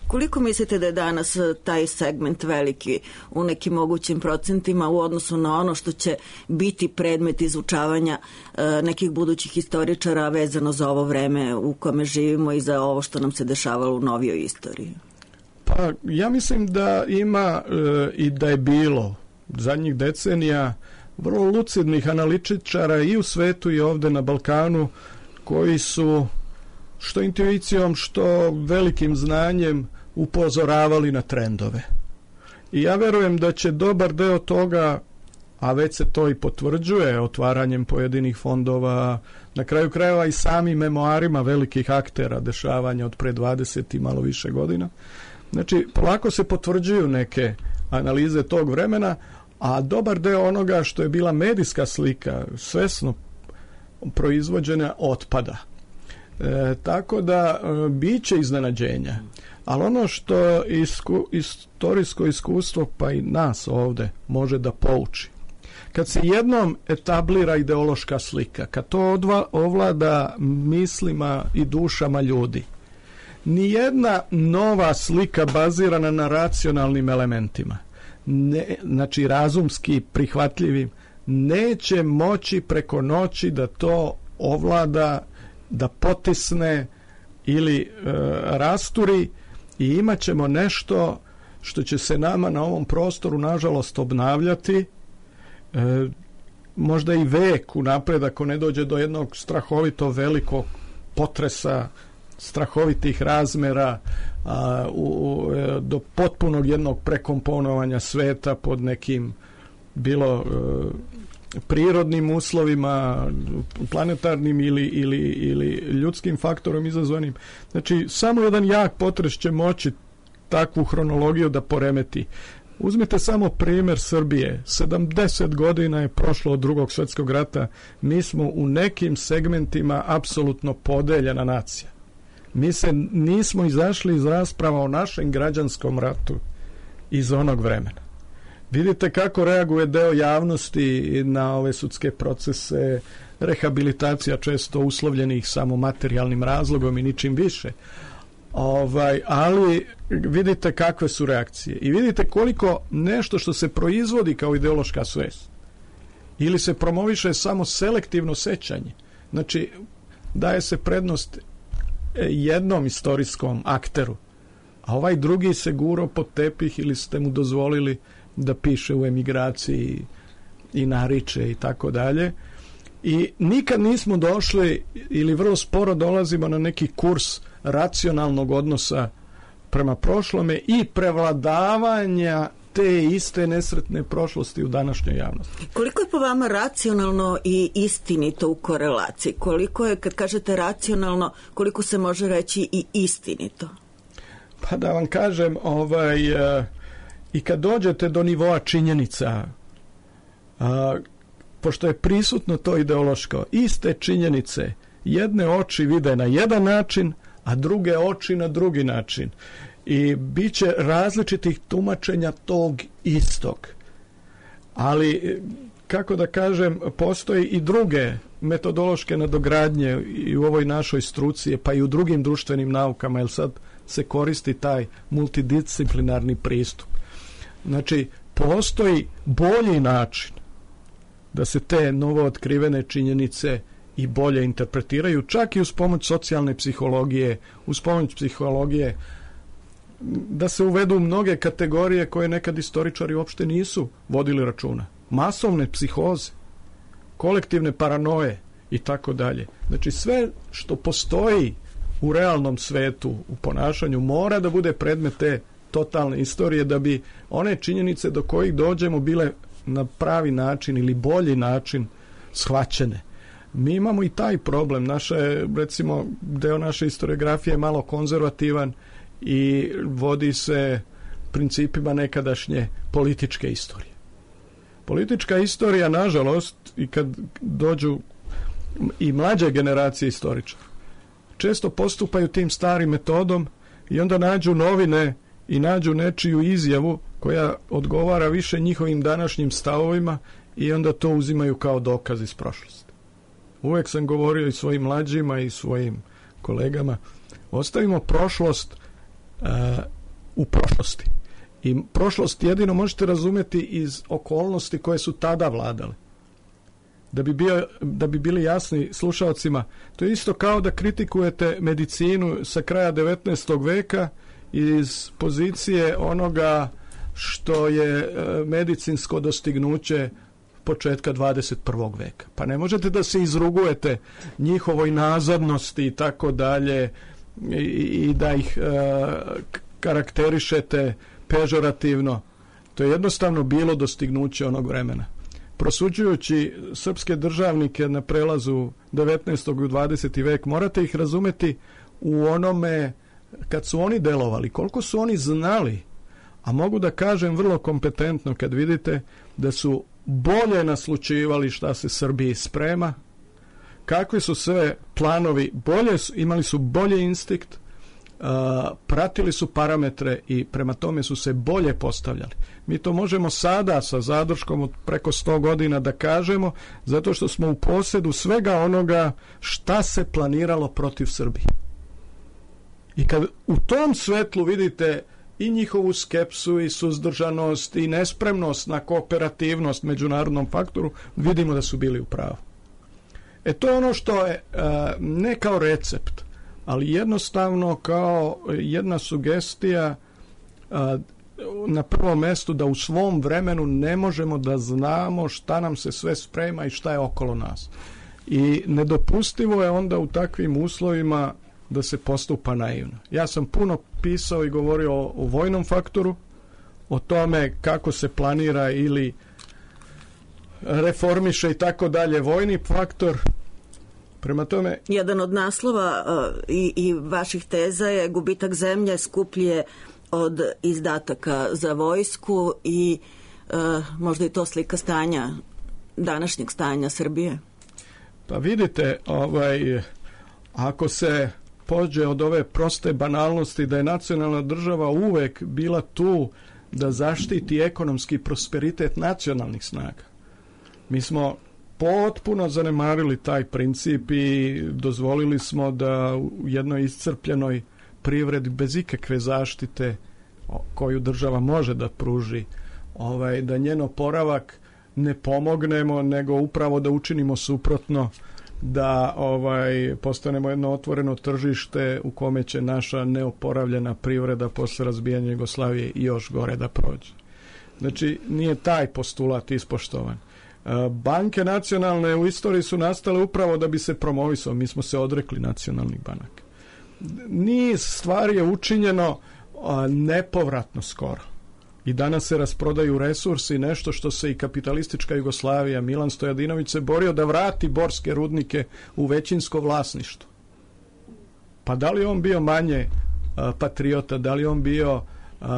Koliko mislite da je danas taj segment veliki u nekim mogućim procentima u odnosu na ono što će biti predmet izučavanja nekih budućih istoričara vezano za ovo vreme u kome živimo i za ovo što nam se dešavalo u novijoj istoriji? Pa ja mislim da ima i da je bilo zadnjih decenija vrlo lucidnih analitičara i u svetu i ovde na Balkanu koji su što intuicijom, što velikim znanjem upozoravali na trendove. I ja verujem da će dobar deo toga, a već se to i potvrđuje otvaranjem pojedinih fondova, na kraju krajeva i samim memoarima velikih aktera dešavanja od pre 20 i malo više godina. Znači, polako se potvrđuju neke analize tog vremena, a dobar deo onoga što je bila medijska slika, svesno proizvođena, otpada. Tako da bit će iznenađenja. Ali ono što istorijsko iskustvo, pa i nas ovde, može da pouči. Kad se jednom etablira ideološka slika, kad to ovlada mislima i dušama ljudi, nijedna nova slika bazirana na racionalnim elementima znači razumski prihvatljivim, neće moći preko noći da to ovlada, da potisne ili rasturi, i imat ćemo nešto što će se nama na ovom prostoru nažalost obnavljati, možda i vek unapred ako ne dođe do jednog strahovito velikog potresa, strahovitih razmera, do potpunog jednog prekomponovanja sveta pod nekim bilo prirodnim uslovima, planetarnim ili ljudskim faktorom izazvanim. Znači, samo jedan jak potres će moći takvu hronologiju da poremeti. Uzmite samo primjer Srbije. 70 godina je prošlo od Drugog svjetskog rata. Mi smo u nekim segmentima apsolutno podeljena nacija. Mi se nismo izašli iz rasprava o našem građanskom ratu iz onog vremena. Vidite kako reaguje deo javnosti na ove sudske procese, rehabilitacija često uslovljenih samo materijalnim razlogom i ničim više. Ali vidite kakve su reakcije i vidite koliko nešto što se proizvodi kao ideološka svest ili se promoviše samo selektivno sećanje. Znači, daje se prednost jednom istorijskom akteru, a ovaj drugi se gurao pod tepih ili ste mu dozvolili da piše u emigraciji i nariče i tako dalje. I nikad nismo došli ili vrlo sporo dolazimo na neki kurs racionalnog odnosa prema prošlome i prevladavanja te iste nesretne prošlosti u današnjoj javnosti. Koliko je po vama racionalno i istinito u korelaciji? Koliko je, kad kažete racionalno, koliko se može reći i istinito? Pa da vam kažem, i kad dođete do nivoa činjenica, pošto je prisutno to ideološko, iste činjenice, jedne oči vide na jedan način, a druge oči na drugi način. I bit će različitih tumačenja tog istog. Ali, kako da kažem, postoji i druge metodološke nadogradnje i u ovoj našoj struci, pa i u drugim društvenim naukama, jer sad se koristi taj multidisciplinarni pristup. Znači, postoji bolji način da se te novo otkrivene činjenice i bolje interpretiraju, čak i uz pomoć socijalne psihologije, uz pomoć psihologije, da se uvedu mnoge kategorije koje nekad istoričari uopšte nisu vodili računa. Masovne psihoze, kolektivne paranoje i tako dalje. Znači, sve što postoji u realnom svetu, u ponašanju, mora da bude predmet te totalne istorije da bi one činjenice do kojih dođemo bile na pravi način ili bolji način shvaćene. Mi imamo i taj problem. Recimo, deo naše historiografije je malo konzervativan i vodi se principima nekadašnje političke istorije. Politička istorija, nažalost, i kad dođu i mlađe generacije istoričara, često postupaju tim starim metodom i onda nađu novine i nađu nečiju izjavu koja odgovara više njihovim današnjim stavovima i onda to uzimaju kao dokaz iz prošlosti. Uvek sam govorio i svojim mlađima i svojim kolegama, ostavimo prošlost u prošlosti. I prošlost jedino možete razumjeti iz okolnosti koje su tada vladale. Da bi bili jasni slušalcima, to je isto kao da kritikujete medicinu sa kraja 19. veka iz pozicije onoga što je medicinsko dostignuće početka 21. veka. Pa ne možete da se izrugujete njihovoj nazadnosti i tako dalje i da ih karakterišete pežorativno. To je jednostavno bilo dostignuće onog vremena. Prosuđujući srpske državnike na prelazu 19. i 20. vek, morate ih razumeti u onome kad su oni delovali, koliko su oni znali, a mogu da kažem vrlo kompetentno kad vidite da su bolje naslučivali šta se Srbiji sprema, kakvi su sve planovi, imali su bolji instinkt, pratili su parametre i prema tome su se bolje postavljali. Mi to možemo sada sa zadrškom od preko 100 godina da kažemo, zato što smo u posedu svega onoga šta se planiralo protiv Srbije. I kad u tom svetlu vidite i njihovu skepsu i suzdržanost i nespremnost na kooperativnost međunarodnom faktoru, vidimo da su bili u pravu. To je ono što je ne kao recept, ali jednostavno kao jedna sugestija na prvom mjestu da u svom vremenu ne možemo da znamo šta nam se sve sprema i šta je okolo nas. I nedopustivo je onda u takvim uslovima da se postupa naivno. Ja sam puno pisao i govorio o vojnom faktoru, o tome kako se planira ili reformiše i tako dalje vojni faktor. Prema tome... Jedan od naslova i vaših teza je gubitak zemlje skuplje od izdataka za vojsku i možda i to slika stanja, današnjeg stanja Srbije. Pa vidite, ako se pođe od ove proste banalnosti da je nacionalna država uvek bila tu da zaštiti ekonomski prosperitet nacionalnih snaga. Mi smo potpuno zanemarili taj princip i dozvolili smo da u jednoj iscrpljenoj privredi bez ikakve zaštite koju država može da pruži, da njen oporavak ne pomognemo, nego upravo da učinimo suprotno, da postanemo jedno otvoreno tržište u kome će naša neoporavljena privreda posle razbijanja Jugoslavije i još gore da prođe. Znači, nije taj postulat ispoštovan. Banke nacionalne u istoriji su nastale upravo da bi se promovisao. Mi smo se odrekli nacionalnih banaka. Niz stvari je učinjeno nepovratno skoro. I danas se rasprodaju resursi, nešto što se i kapitalistička Jugoslavija, Milan Stojadinović se borio da vrati borske rudnike u većinsko vlasništvo. Pa da li on bio manje patriota, da li on bio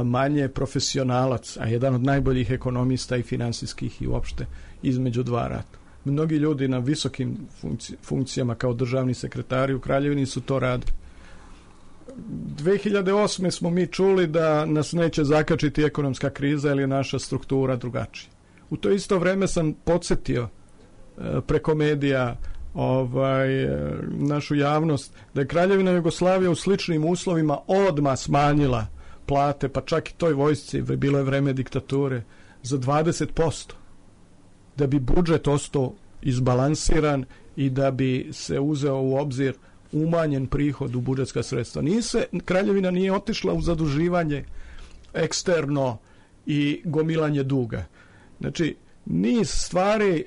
manje profesionalac, a jedan od najboljih ekonomista i finansijskih i uopšte između dva rata. Mnogi ljudi na visokim funkcijama kao državni sekretari u Kraljevini su to radili. 2008. smo mi čuli da nas neće zakačiti ekonomska kriza ili je naša struktura drugačija. U to isto vreme sam podsjetio preko medija našu javnost da je Kraljevina Jugoslavija u sličnim uslovima odmah smanjila plate, pa čak i toj vojsci, bilo je vreme diktature, za 20%. Da bi budžet ostao izbalansiran i da bi se uzeo u obzir umanjen prihod u budžetska sredstva. Kraljevina nije otišla u zaduživanje eksterno i gomilanje duga. Znači, niz stvari,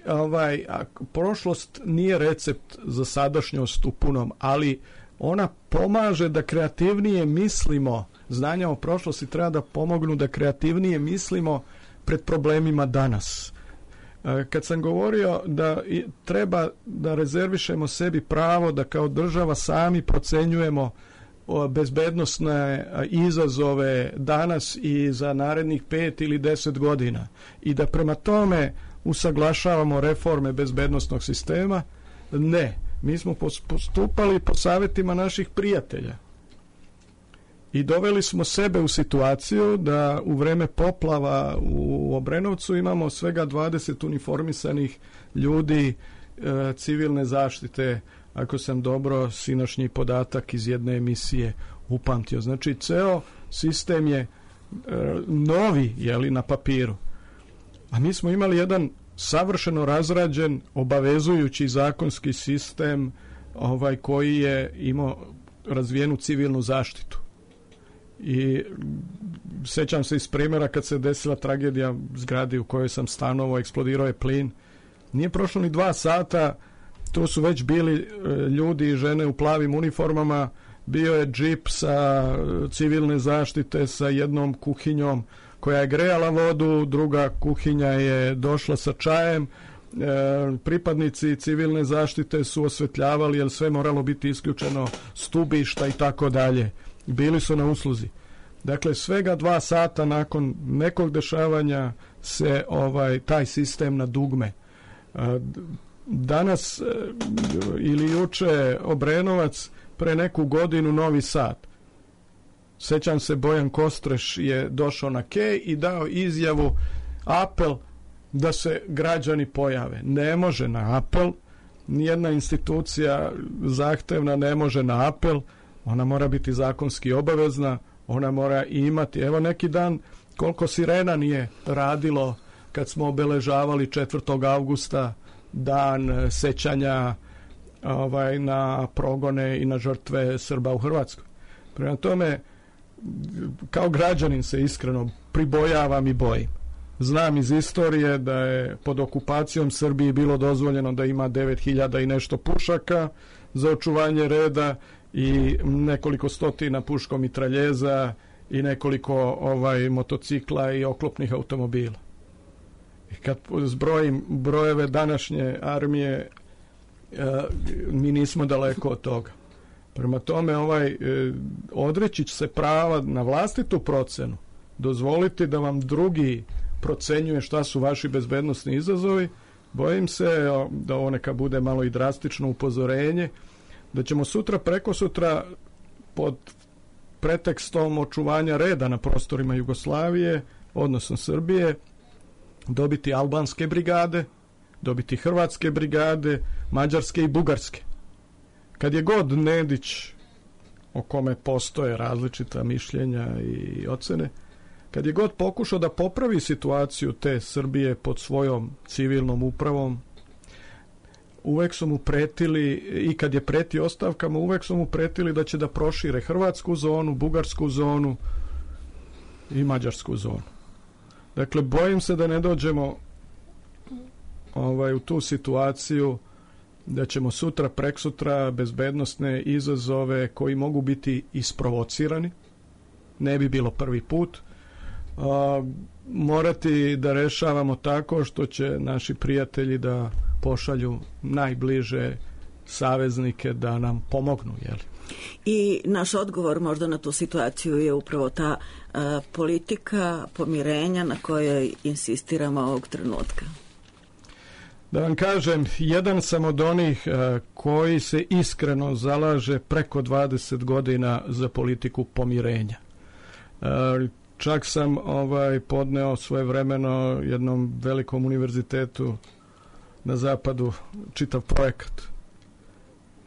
prošlost nije recept za sadašnjost u punom, ali ona pomaže da kreativnije mislimo. Znanja o prošlosti treba da pomognu da kreativnije mislimo pred problemima danas. Kad sam govorio da treba da rezervišemo sebi pravo da kao država sami procenjujemo bezbednosne izazove danas i za narednih 5 ili 10 godina i da prema tome usaglašavamo reforme bezbednosnog sistema, ne. Mi smo postupali po savjetima naših prijatelja i doveli smo sebe u situaciju da u vreme poplava u Obrenovcu imamo svega 20 uniformisanih ljudi civilne zaštite, ako sam dobro sinošnji podatak iz jedne emisije upamtio. Znači, ceo sistem je novi, na papiru. A mi smo imali jedan savršeno razrađen, obavezujući zakonski sistem koji je imao razvijenu civilnu zaštitu. I sećam se iz primjera kad se desila tragedija zgradi u kojoj sam stanovao, eksplodirao je plin. Nije prošlo ni 2 sata, tu su već bili ljudi i žene u plavim uniformama, bio je džip sa civilne zaštite sa jednom kuhinjom koja je grejala vodu, druga kuhinja je došla sa čajem, pripadnici civilne zaštite su osvetljavali jer sve moralo biti isključeno, stubišta i tako dalje. Bili su na usluzi. Dakle, svega 2 sata nakon nekog dešavanja se taj sistem na dugme. Danas ili juče Obrenovac, pre neku godinu Novi Sad. Sećam se, Bojan Kostreš je došao na Kej i dao izjavu, apel da se građani pojave. Ne može na apel, nijedna institucija zahtevna ne može na apel, ona mora biti zakonski obavezna, Ona mora imati, evo neki dan koliko sirena nije radilo kad smo obeležavali 4. avgusta dan sećanja na progone i na žrtve Srba u Hrvatskoj. Prema tome, kao građanin se iskreno pribojavam i bojim. Znam iz istorije da je pod okupacijom Srbiji bilo dozvoljeno da ima 9.000 i nešto pušaka za očuvanje reda i nekoliko stotina puškomitraljeza i nekoliko motocikla i oklopnih automobila. I kad zbrojim brojeve današnje armije, mi nismo daleko od toga. Prema tome, odreći će se prava na vlastitu procenu, dozvoliti da vam drugi procenjuje šta su vaši bezbednosni izazovi. Bojim se da ovo neka bude malo i drastično upozorenje, da ćemo sutra, prekosutra pod pretekstom očuvanja reda na prostorima Jugoslavije, odnosno Srbije, dobiti albanske brigade, dobiti hrvatske brigade, mađarske i bugarske. Kad je god Nedić, o kome postoje različita mišljenja i ocene, kad je god pokušao da popravi situaciju te Srbije pod svojom civilnom upravom, uvek su mu pretili, i kad je pretio ostavkama, uvek su mu pretili da će da prošire hrvatsku zonu, bugarsku zonu i mađarsku zonu. Dakle, bojim se da ne dođemo u tu situaciju da ćemo sutra, preksutra bezbednosne izazove koji mogu biti isprovocirani, ne bi bilo prvi put, morati da rešavamo tako što će naši prijatelji da pošalju najbliže saveznike da nam pomognu, jel? I naš odgovor možda na tu situaciju je upravo ta politika pomirenja na kojoj insistiramo ovog trenutka. Da vam kažem, jedan sam od onih koji se iskreno zalaže preko 20 godina za politiku pomirenja. Čak sam podneo svojevremeno jednom velikom univerzitetu na zapadu čitav projekat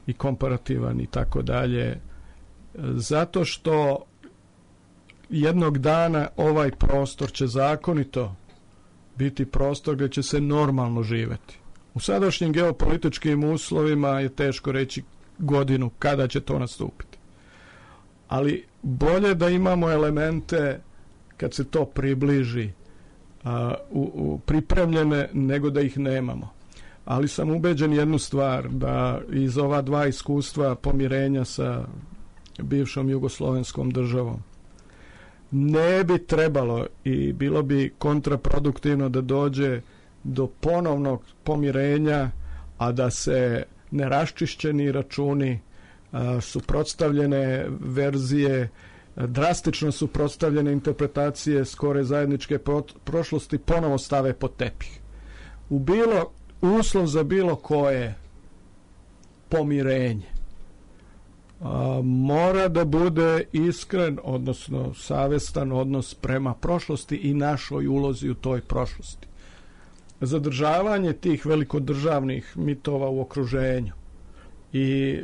i komparativan i tako dalje, zato što jednog dana ovaj prostor će zakonito biti prostor gdje će se normalno živeti. U sadašnjim geopolitičkim uslovima je teško reći godinu kada će to nastupiti. Ali bolje da imamo elemente kad se to približi pripremljene nego da ih nemamo. Ali sam ubeđen jednu stvar, da iz ova dva iskustva pomirenja sa bivšom jugoslovenskom državom ne bi trebalo i bilo bi kontraproduktivno da dođe do ponovnog pomirenja, a da se neraščišćeni računi, suprotstavljene verzije, drastično suprotstavljene interpretacije skore zajedničke prošlosti ponovo stave pod tepih. Uslov za bilo koje pomirenje mora da bude iskren, odnosno savestan odnos prema prošlosti i našoj ulozi u toj prošlosti. Zadržavanje tih velikodržavnih mitova u okruženju i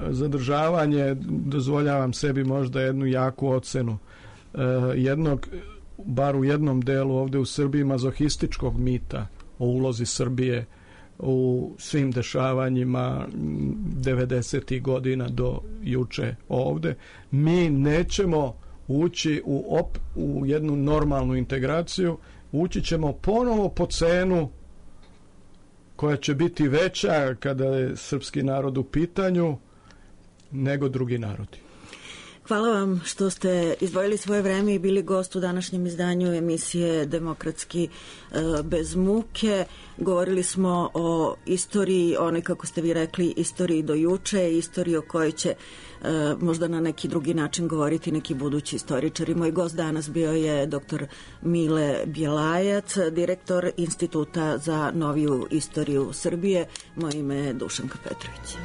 zadržavanje, dozvoljavam sebi možda jednu jaku ocenu, bar u jednom delu ovde u Srbiji, mazohističkog mita o ulozi Srbije u svim dešavanjima 90. godina do juče ovde. Mi nećemo ući u jednu normalnu integraciju, ući ćemo ponovo po cenu koja će biti veća kada je srpski narod u pitanju nego drugi narodi. Hvala vam što ste izdvojili svoje vreme i bili gost u današnjem izdanju emisije Demokratski bez muke. Govorili smo o istoriji, onoj, kako ste vi rekli, istoriji do juče, istoriji o kojoj će možda na neki drugi način govoriti neki budući istoričari. Moj gost danas bio je dr. Mile Bjelajac, direktor Instituta za noviju istoriju Srbije. Moje ime je Dušanka Petrović.